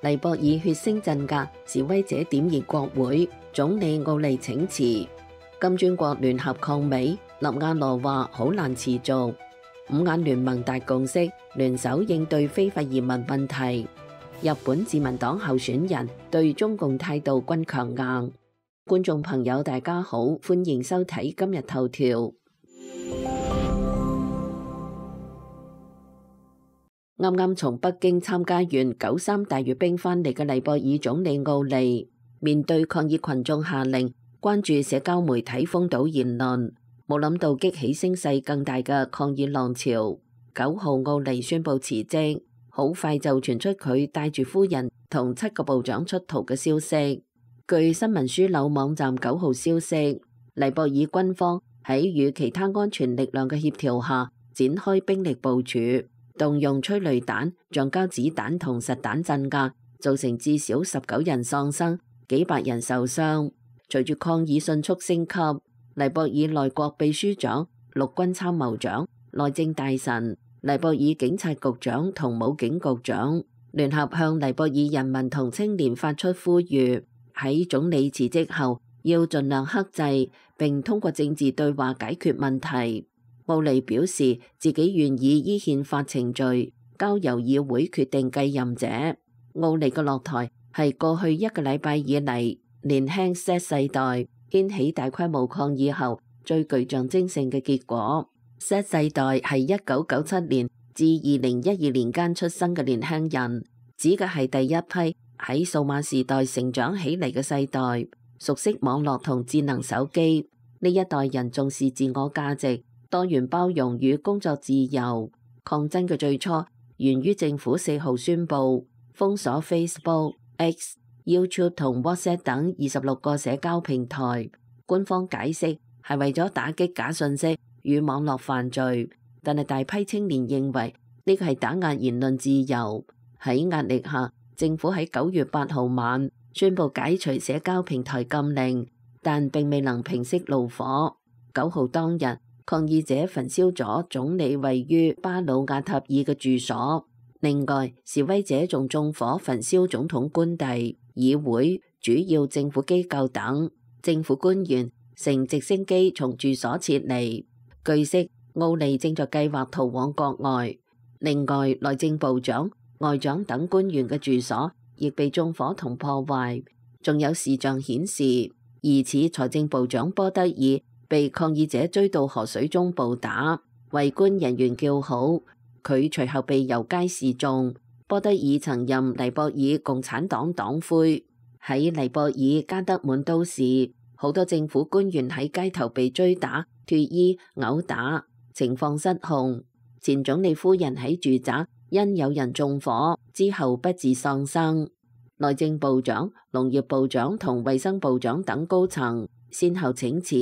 尼泊爾血腥鎮壓，示威者點燃國會，總理奧利請辭。金磚國聯合抗美，納瓦羅話好難持續。五眼聯盟達共識，聯手應對非法移民問題。日本自民黨候選人對中共態度均強硬。觀眾朋友大家好，歡迎收睇今日頭條。啱啱從北京參加完9·3大閱兵返嚟嘅尼泊爾總理奧利，面對抗議群眾下令關注社交媒體封堵言論，冇諗到激起聲勢更大嘅抗議浪潮。9號奧利宣布辭職，好快就傳出佢帶住夫人同7個部長出逃嘅消息。據新聞樞紐網站9號消息，尼泊爾軍方喺與其他安全力量嘅協調下展開兵力部署，動用催淚彈、橡膠子彈同實彈鎮壓，造成至少19人喪生、幾百人受傷。隨住抗議迅速升級，尼泊爾內閣秘書長、陸軍參謀長、內政大臣、尼泊爾警察局長同武警局長聯合向尼泊爾人民同青年發出呼籲，喺總理辭職後要盡量克制，並通過政治對話解決問題。奧利表示自己願意依憲法程序交由議會決定繼任者。奧利嘅落台係過去1個禮拜以嚟年輕 Z 世代掀起大規模抗議後最具象徵性嘅結果。Z 世代係1997年至2012年間出生嘅年輕人，指嘅係第一批喺數碼時代成長起嚟嘅世代，熟悉網絡同智能手機。呢一代人重視自我價值、多元包容與工作自由。抗爭嘅最初源於政府4號宣布封鎖 Facebook、X、YouTube 同 WhatsApp 等26個社交平台。官方解釋係為咗打擊假信息與網絡犯罪，但係大批青年認為呢個係打壓言論自由。喺壓力下，政府喺9月8號晚宣布解除社交平台禁令，但並未能平息怒火。9號當日，抗議者焚燒咗總理位於巴魯亞塔爾嘅住所，另外示威者仲縱火焚燒總統官邸、議會、主要政府機構等。政府官員乘直升機從住所撤離。據悉，奧利正在計劃逃往國外。另外，內政部長、外長等官員嘅住所亦被縱火同破壞。仲有視像顯示，疑似財政部長波德爾被抗議者追到河水中暴打，圍觀人員叫好，佢隨後被遊街示眾。波德爾曾任尼泊爾共產黨黨魁。喺尼泊爾加德滿都市，好多政府官員喺街頭被追打、脫衣、毆打，情況失控。前總理夫人喺住宅因有人縱火之後不治喪生。內政部長、農業部長同衛生部長等高層先後請辭。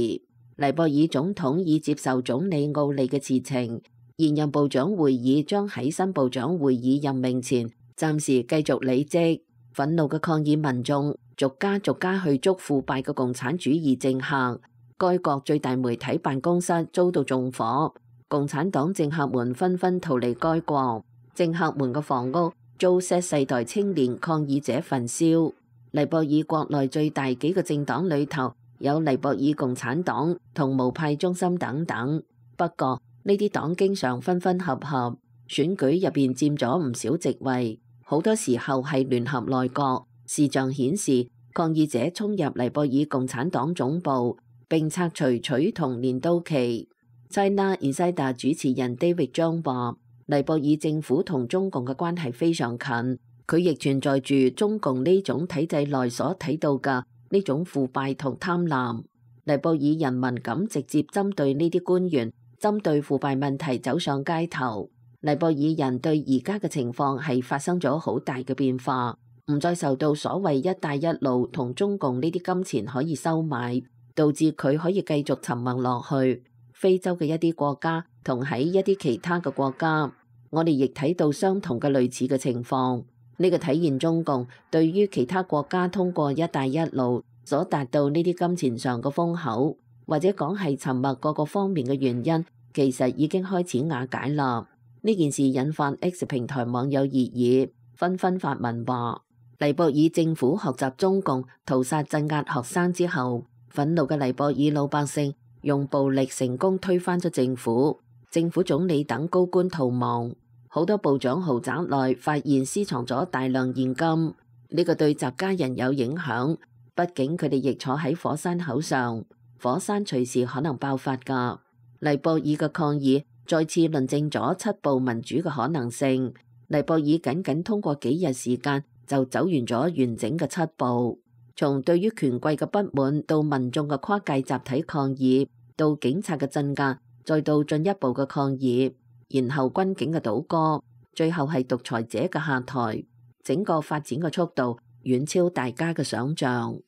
尼泊爾總統已接受總理奧利嘅辭呈，現任部長會議將喺新部長會議任命前暫時繼續履職。憤怒嘅抗議民眾逐家去捉腐敗嘅共產主義政客。該國最大媒體辦公室遭到縱火，共產黨政客們紛紛逃離該國。政客們嘅房屋遭 Z 世代青年抗議者焚燒。尼泊爾國內最大幾個政黨裏頭有尼泊爾共產黨同無派中心等等，不過呢啲黨經常分分合合，選舉入邊佔咗唔少席位，好多時候係聯合內閣。視像顯示，抗議者衝入尼泊爾共產黨總部並拆除取銅鐮刀旗。China Insider 主持人 David 張話，尼泊爾政府同中共嘅關係非常近，佢亦存在住中共呢種體制內所睇到嘅呢種腐敗同貪婪。尼泊爾人民敢直接針對呢啲官員，針對腐敗問題走上街頭。尼泊爾人對而家嘅情況係發生咗好大嘅變化，唔再受到所謂一帶一路同中共呢啲金錢可以收買，導致佢可以繼續沉默落去。非洲嘅一啲國家同喺一啲其他嘅國家，我哋亦睇到相同嘅類似嘅情況。呢個體現中共對於其他國家通過一帶一路所達到呢啲金錢上嘅豐厚，或者講係沉默各個方面嘅原因，其實已經開始瓦解啦。呢件事引發 X 平台網友熱議，紛紛發文話：尼泊爾政府學習中共屠殺鎮壓學生之後，憤怒嘅尼泊爾老百姓用暴力成功推翻咗政府，政府總理等高官逃亡，好多部長豪宅內發現私藏咗大量現金。呢個對習家人有影響，畢竟佢哋亦坐喺火山口上，火山隨時可能爆發㗎。尼泊爾嘅抗議再次論證咗七步民主嘅可能性。尼泊爾僅通過幾日時間就走完咗完整嘅七步，從對於權貴嘅不滿到民眾嘅跨界集體抗議，到警察嘅鎮壓，再到進一步嘅抗議，然後軍警嘅倒戈，最後係獨裁者嘅下台。整個發展嘅速度遠超大家嘅想象。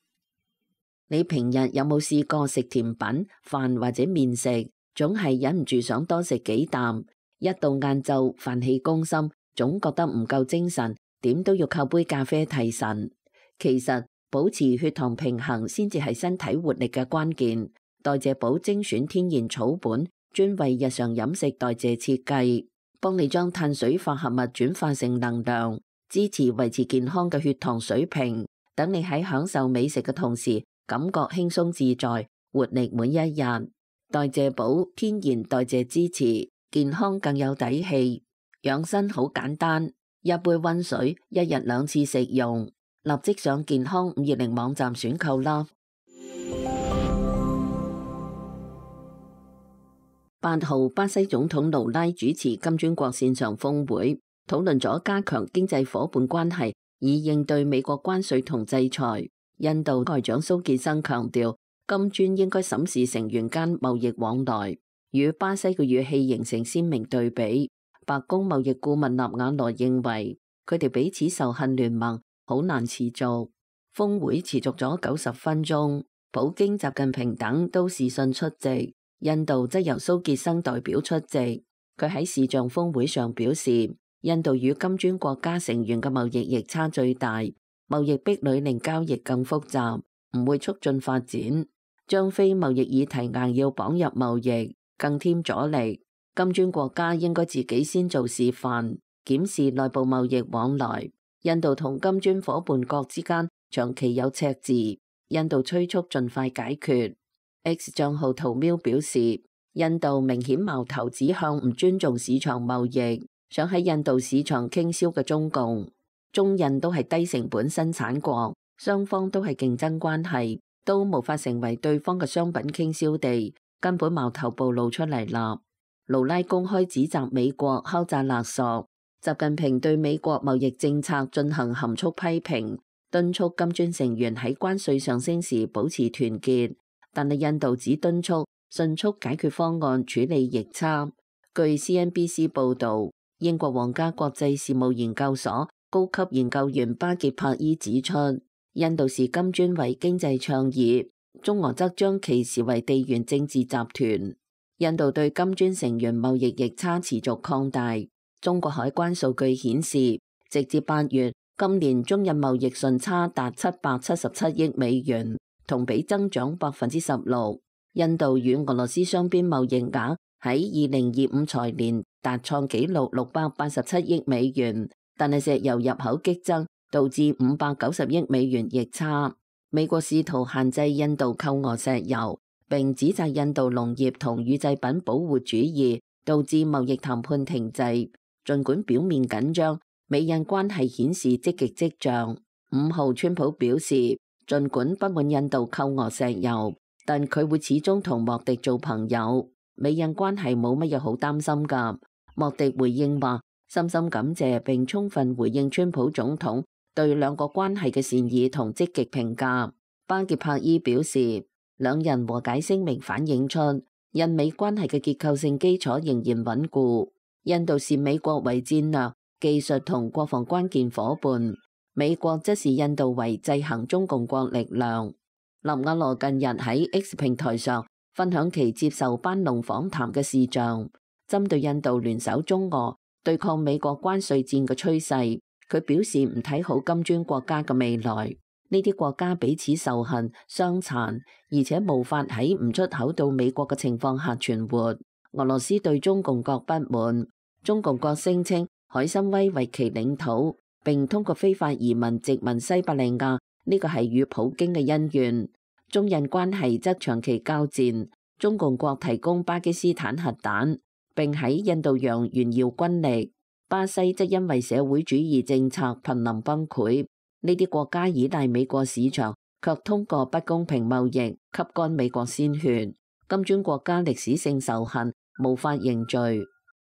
你平日有冇試過食甜品、飯或者麵食，總係忍唔住想多食幾啖，一到晏晝飯氣攻心，總覺得唔夠精神，點都要靠杯咖啡提神。其實保持血糖平衡先至係身體活力嘅關鍵。代謝寶精選天然草本，專為日常飲食代謝設計，幫你將碳水化合物轉化成能量，支持維持健康嘅血糖水平，等你喺享受美食嘅同時，感覺輕鬆自在，活力每一日。代謝寶天然代謝支持，健康更有底氣。養生好簡單，一杯溫水，一日2次食用。立即上健康520網站選購啦。8號，巴西總統盧拉主持金磚國線上峰會，討論咗加強經濟夥伴關係，以應對美國關稅同制裁。印度外長蘇傑生強調，金磚應該審視成員間貿易往來，與巴西嘅語氣形成鮮明對比。白宮貿易顧問納瓦羅認為，佢哋彼此仇恨聯盟好難持續。峰會持續咗90分鐘，普京、習近平等都視訊出席，印度則由蘇傑生代表出席。佢喺視像峰會上表示，印度與金磚國家成員嘅貿易逆差最大，貿易壁壘令交易更複雜，唔會促進發展，將非貿易議題硬要綁入貿易，更添阻力。金磚國家應該自己先做示範，檢視內部貿易往來。印度同金磚夥伴國之間長期有赤字，印度催促盡快解決。X 賬號圖喵表示，印度明顯矛頭指向唔尊重市場貿易，想喺印度市場傾銷嘅中共。中印都係低成本生產國，雙方都係競爭關係，都無法成為對方嘅商品傾銷地，根本矛頭暴露出嚟啦。盧拉公開指責美國敲詐勒索，習近平對美國貿易政策進行含蓄批評，敦促金磚成員喺關稅上升時保持團結，但係印度只敦促迅速解決方案處理逆差。據 CNBC 報導，英國皇家國際事務研究所高級研究員巴傑帕伊指出，印度視金磚為經濟倡議，中俄則將其視為地緣政治集團。印度對金磚成員貿易逆差持續擴大。中國海關數據顯示，直至8月，今年中印貿易順差達777億美元，同比增長16%。印度與俄羅斯雙邊貿易額喺2025財年達創紀錄687億美元，但係石油入口激增，導致590億美元逆差。美國試圖限制印度購俄石油，並指責印度農業同乳製品保護主義導致貿易談判停滯。儘管表面緊張，美印關係顯示積極跡象。5號，川普表示，儘管不滿印度購俄石油，但佢會始終同莫迪做朋友。美印關係冇乜嘢好擔心㗎。莫迪回應話，深深感謝並充分回應川普總統對兩國關係嘅善意同積極評價。巴傑帕伊表示，兩人和解聲明反映出印美關係嘅結構性基礎仍然穩固。印度視美國為戰略、技術同國防關鍵夥伴，美國則視印度為制衡中共國力量。納瓦羅近日喺 X 平台上分享其接受班農訪談嘅視像，針對印度聯手中俄對抗美國關稅戰嘅趨勢，佢表示唔睇好金磚國家嘅未來。呢啲國家彼此仇恨、傷殘，而且無法喺唔出口到美國嘅情況下存活。俄羅斯對中共國不滿，中共國聲稱海參崴為其領土，並通過非法移民殖民西伯利亞，呢個係與普京嘅恩怨。中印關係則長期交戰，中共國提供巴基斯坦核彈，並喺印度洋炫耀軍力。巴西則因為社會主義政策瀕臨崩潰。呢啲國家依賴美國市場，卻通過不公平貿易吸乾美國鮮血。金磚國家歷史性仇恨無法凝聚。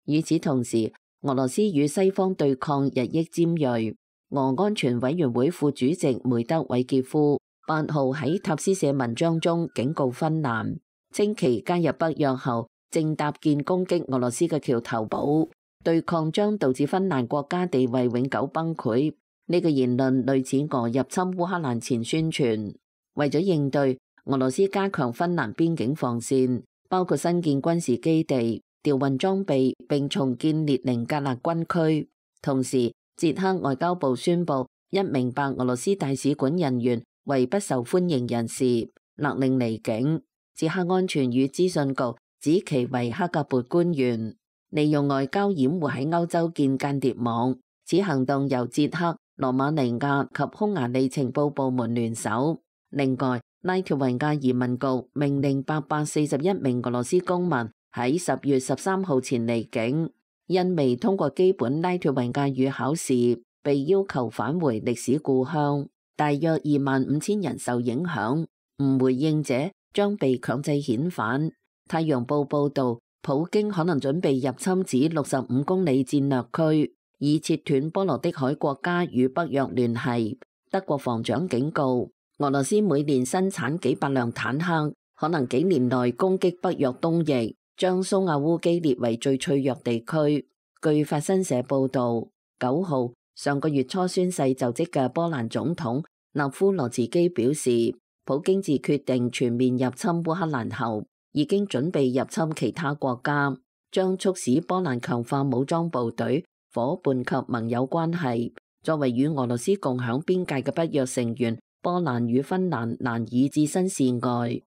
與此同時，俄羅斯與西方對抗日益尖銳。俄安全委員會副主席梅德韋傑夫8號喺塔斯社文章中警告芬蘭，稱其加入北約後正搭建攻擊俄羅斯嘅橋頭堡，對抗將導致芬蘭國家地位永久崩潰。呢個言論類似俄入侵烏克蘭前宣傳。為咗應對，俄羅斯加強芬蘭邊境防線，包括新建軍事基地、調運裝備並重建列寧格勒軍區。同時，捷克外交部宣布1名白俄羅斯大使館人員為不受歡迎人士，勒令離境。捷克安全與資訊局指其為克格勃官員，利用外交掩護喺歐洲建間諜網。此行動由捷克、羅馬尼亞及匈牙利情報部門聯手。另外，拉脫維亞移民局命令841名俄羅斯公民喺10月13號前離境。因未通過基本拉脫維亞語考試，被要求返回歷史故鄉。大約25000人受影響，唔回應者將被強制遣返。太陽報報導，普京可能準備入侵此65公里戰略區，以切斷波羅的海國家與北約聯繫。德國防長警告，俄羅斯每年生產幾百輛坦克，可能幾年內攻擊北約東翼，將蘇亞烏基列為最脆弱地區。據法新社報導，9號上個月初宣誓就職嘅波蘭總統納夫羅茨基表示，普京自決定全面入侵烏克蘭後，已經準備入侵其他國家，將促使波蘭強化武裝部隊、夥伴及盟友關係。作為與俄羅斯共享邊界嘅北約成員，波蘭與芬蘭難以置身事外。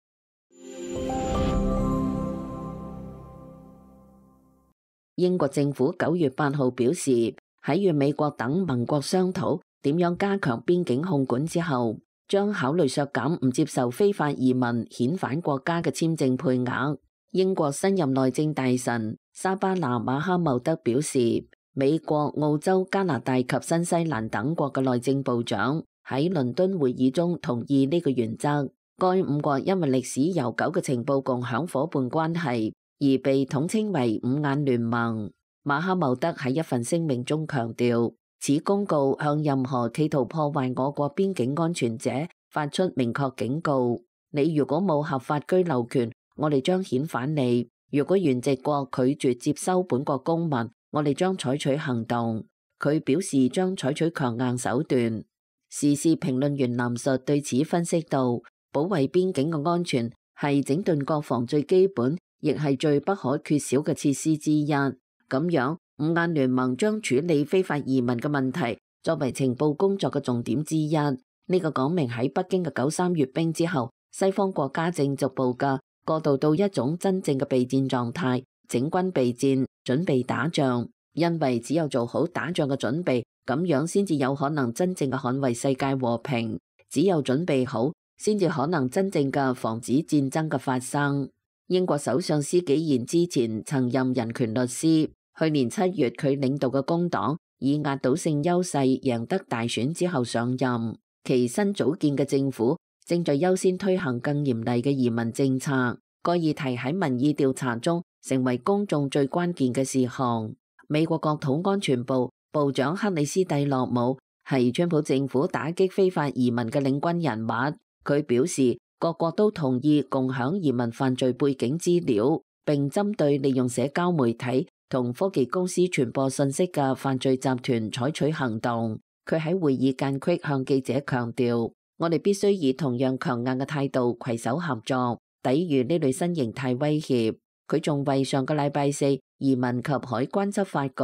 英國政府9月8號表示，喺與美國等盟國商討點樣加強邊境控管之後，將考慮削減唔接受非法移民遣返國家嘅簽證配額。英國新任內政大臣沙巴拿馬哈茂德表示，美國、澳洲、加拿大及新西蘭等國嘅內政部長喺倫敦會議中同意呢個原則。該5國因為歷史悠久嘅情報共享夥伴關係，而被統稱為5眼聯盟。馬哈茂德喺一份聲明中強調，此公告向任何企圖破壞我國邊境安全者發出明確警告：你如果冇合法居留權，我哋將遣返你；如果原籍國拒絕接收本國公民，我哋將採取行動。佢表示將採取強硬手段。時事評論員藍述對此分析道：保衛邊境嘅安全係整頓國防最基本，亦係最不可缺少嘅設施之一。咁樣5眼聯盟將處理非法移民嘅問題作為情報工作嘅重點之一。呢個講明喺北京嘅93閱兵之後，西方國家正逐步嘅過渡到一種真正嘅備戰狀態，整軍備戰，準備打仗。因為只有做好打仗嘅準備，咁樣先至有可能真正嘅捍衛世界和平。只有準備好，先至可能真正嘅防止戰爭嘅發生。英國首相施紀賢之前曾任人權律師，去年7月佢領導嘅工黨以壓倒性優勢贏得大選之後上任，其新組建嘅政府正在優先推行更嚴厲嘅移民政策。該議題喺民意調查中成為公眾最關鍵嘅事項。美國國土安全部部長克里斯蒂洛姆係川普政府打擊非法移民嘅領軍人物。佢表示，各國都同意共享移民犯罪背景資料，並針對利用社交媒體同科技公司傳播信息嘅犯罪集團採取行動。佢喺會議間隙向記者強調，我哋必須以同樣強硬嘅態度攜手合作，抵禦呢類新形態威脅。佢仲為上個禮拜4移民及海關執法局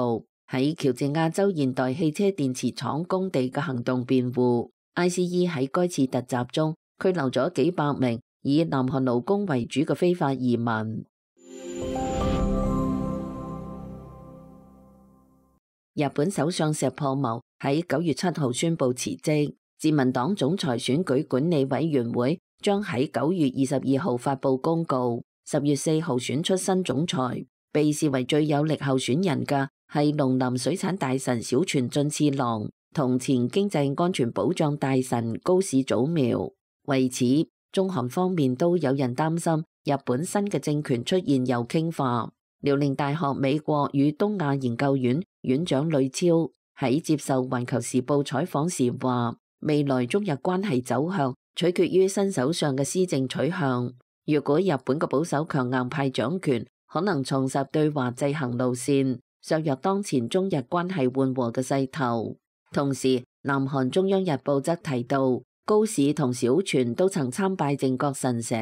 喺喬治亞州現代汽車電池廠工地嘅行動辯護。ICE 喺該次突襲中拘留咗幾百名以南韓勞工為主嘅非法移民。日本首相石破茂喺9月7號宣布辭職。自民黨總裁選舉管理委員會將喺9月22號發布公告，10月4號選出新總裁。被視為最有力候選人嘅係農林水產大臣小泉進次郎同前經濟安全保障大臣高市早苗。為此，中韓方面都有人擔心日本新嘅政權出現右傾化。遼寧大學美國與東亞研究院院長呂超喺接受《環球時報》採訪時話，未來中日關係走向取決於新首相嘅施政取向。如果日本嘅保守強硬派掌權，可能重拾對華制衡路線，削弱當前中日關係緩和嘅勢頭。同時，南韓中央日報則提到，高市同小泉都曾參拜靖國神社，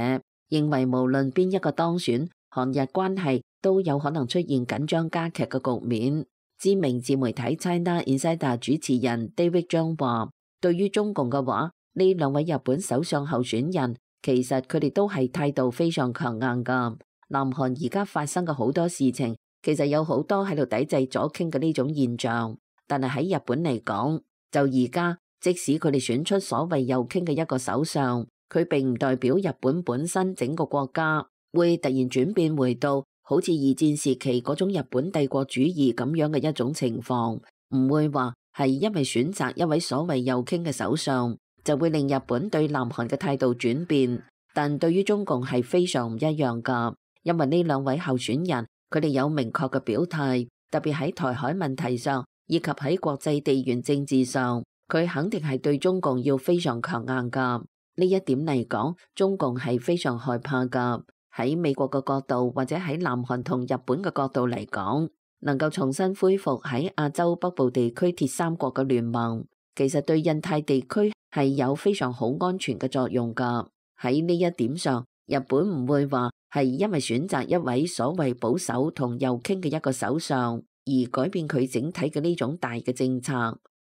認為無論邊一個當選，韓日關係都有可能出現緊張加劇嘅局面。知名自媒體 China Insider 主持人 David 張話，對於中共嘅話，呢兩位日本首相候選人其實佢哋都係態度非常強硬㗎。南韓而家發生嘅好多事情，其實有好多喺度抵制左傾嘅呢種現象。但係喺日本嚟講，就而家即使佢哋選出所謂右傾嘅一個首相，佢並唔代表日本本身整個國家會突然轉變回到好似二戰時期嗰種日本帝國主義咁樣嘅一種情況，唔會話係因為選擇一位所謂右傾嘅首相，就會令日本對南韓嘅態度轉變。但對於中共係非常唔一樣㗎。因為呢兩位候選人，佢哋有明確嘅表態，特別喺台海問題上，以及喺國際地緣政治上，佢肯定係對中共要非常強硬㗎。呢一點嚟講，中共係非常害怕㗎。喺美國嘅角度，或者喺南韓同日本嘅角度嚟講，能夠重新恢復喺亞洲北部地區鐵三角嘅聯盟，其實對印太地區係有非常好安全嘅作用㗎。喺呢一點上，日本唔會話係因為選擇一位所謂保守同右傾嘅一個首相而改變佢整體嘅呢種大嘅政策。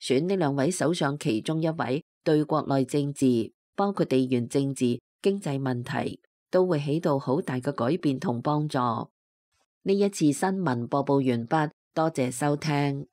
選呢兩位首相其中一位，對國內政治，包括地緣政治、經濟問題，都會起到好大嘅改變同幫助。呢一次新聞播報完畢，多謝收聽。